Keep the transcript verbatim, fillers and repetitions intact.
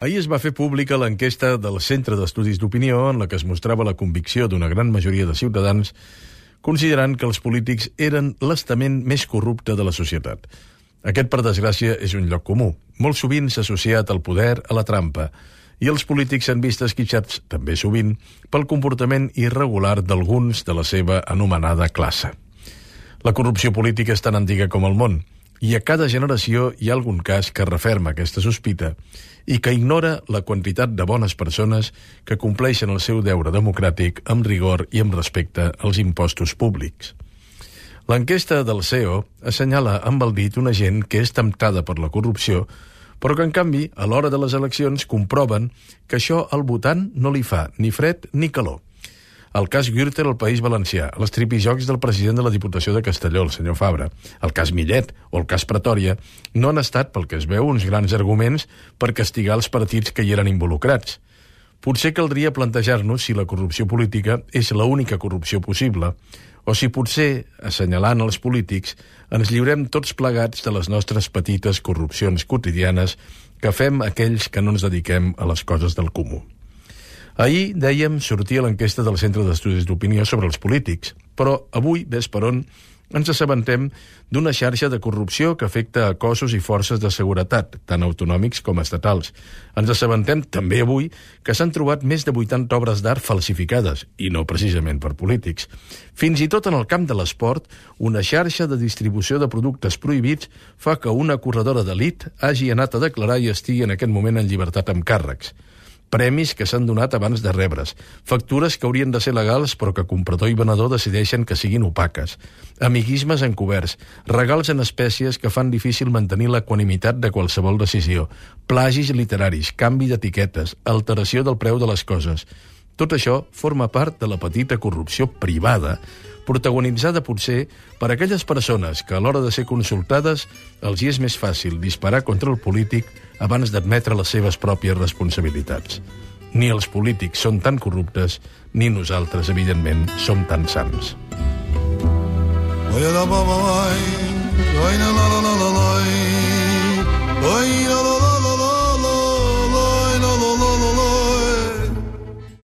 Ahir es va fer pública l'enquesta del Centre d'Estudis d'Opinió en la que es mostrava la convicció d'una gran majoria de ciutadans considerant que els polítics eren l'estament més corrupte de la societat. Aquest, per desgràcia, és un lloc comú. Molt sovint s'ha associat el poder a la trampa i els polítics s'han vist esquitxats, també sovint, pel comportament irregular d'alguns de la seva anomenada classe. La corrupció política és tan antiga com el món, i a cada generació hi ha algun cas que referma aquesta sospita i que ignora la quantitat de bones persones que compleixen el seu deure democràtic amb rigor i amb respecte als impostos públics. L'enquesta del C E O assenyala amb el dit una gent que és temptada per la corrupció, però que, en canvi, a l'hora de les eleccions comproven que això al votant no li fa ni fred ni calor. El cas Gürtel al País Valencià, els tripijocs del president de la Diputació de Castelló, el senyor Fabra, el cas Millet o el cas Pretòria, no han estat, pel que es veu, uns grans arguments per castigar els partits que hi eren involucrats. Potser caldria plantejar-nos si la corrupció política és l'única corrupció possible, o si potser, assenyalant els polítics, ens lliurem tots plegats de les nostres petites corrupcions quotidianes que fem aquells que no ens dediquem a les coses del comú. Ahir, dèiem, sortia l'enquesta del Centre d'Estudis d'Opinió sobre els polítics, però avui, ves per on, ens assabentem d'una xarxa de corrupció que afecta a cossos i forces de seguretat, tant autonòmics com estatals. Ens assabentem també avui que s'han trobat més de vuitanta obres d'art falsificades, i no precisament per polítics. Fins i tot en el camp de l'esport, una xarxa de distribució de productes prohibits fa que una corredora d'elit hagi anat a declarar i estigui en aquest moment en llibertat amb càrrecs. Premis que s'han donat abans de rebre's, factures que haurien de ser legals però que comprador i venedor decideixen que siguin opaques, amiguismes encoberts, regals en espècies que fan difícil mantenir l'equanimitat de qualsevol decisió, plagis literaris, canvi d'etiquetes, alteració del preu de les coses. Tot això forma part de la petita corrupció privada, protagonitzada potser per aquelles persones que a l'hora de ser consultades els hi és més fàcil disparar contra el polític abans d'admetre les seves pròpies responsabilitats. Ni els polítics són tan corruptes, ni nosaltres, evidentment, som tan sants.